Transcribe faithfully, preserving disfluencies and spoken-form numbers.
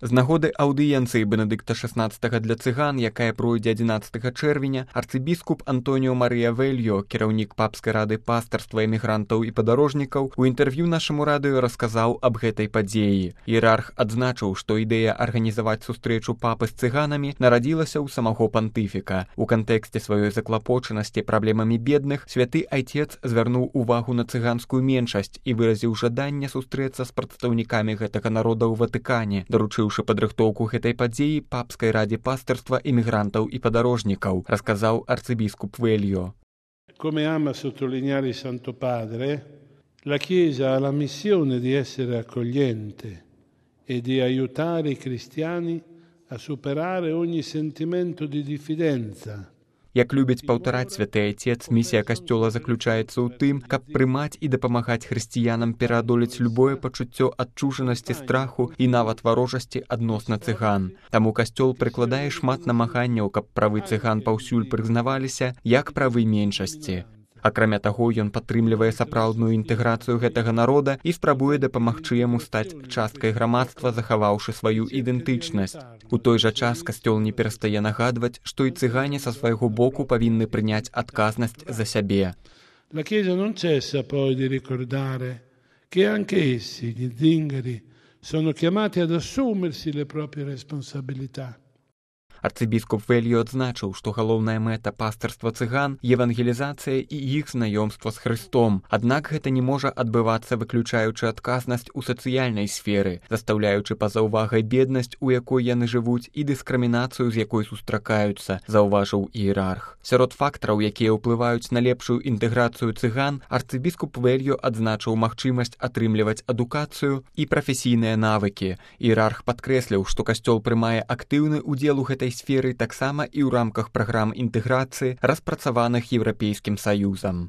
З нагоды аўдыенцыі Бенедыкта шаснаццатага для цыган, якая пройдзе адзінаццатага чэрвеня, арцыбіскуп Антоніо Марыя Вельё, кіраўнік папскай рады пастарства эмігрантаў і падарожнікаў, у інтэрв'ю нашаму радыё расказаў аб гэтай падзеі. Іерарх адзначыў, што ідэя арганізаваць сустрэчу папы з цыганамі нарадзілася ў самого пантыфіка. У кантэксце сваёй заклапочанасці праблемамі бедных святы айцец звярнуў увагу на цыганскую меншасць і выразіў жаданне сустрэцца з прадстаўнікамі гэтага народа ў Ватыкане, даручыў падрыхтоўку гэтай падзеі папскай радзе пастырства іммігрантаў і падарожнікаў, расказаў арцыбіскуп Вельё. Come ama sottolineare il Santo Padre, la Chiesa ha la missione di essere accogliente e di aiutare i cristiani a superare ogni sentimento di diffidenza. Як любіць паўтараць святы айцец, місія касцёла заключаецца ў тым, каб прымаць і дапамагаць хрысціянам пераадолець любое пачуццё адчужанасці, страху і нават варожасці адносна цыган. Таму касцёл прыкладае шмат намаганняў, каб правы цыган паўсюль прызнаваліся як правы меншасці. Акрамя таго, ён падтрымлівае сапраўдную інтэграцыю гэтага народа і спрабуе дапамагчы яму стаць часткай грамадства, захаваўшы сваю ідэнтычнасць. У той жа час касцёл не перастае нагадваць, што і цыгане са свайго боку павінны прыняць адказнасць за сябе. La Chiesa non cessa poi di ricordare che anche essi, gli zingari, sono chiamati ad assumersi le proprie responsabilità. Арцыбіскуп Вельё адзначыў, што галоўная мэта пастырства цыган – евангелізацыя і іх знаёмства з Хрыстом. Аднак гэта не можа адбывацца, выключаючы адказнасць у сацыяльнай сферы, застаўляючы па-за ўвагай беднасць, у якой яны жывуць, і дыскрымінацыю, з якой сустракаюцца, заўважыў іерарх. Сярод фактараў, якія ўплываюць на лепшую інтэграцыю цыган, арцыбіскуп Вельё адзначыў магчымасць атрымліваць адукацыю і прафесійныя навыкі. Іерарх падкрэсліў, што касцёл прымае актыўны ўдзел у гэтай сферы таксама і ў рамках праграм інтэграцыі, распрацаваных Еўрапейскім Саюзам.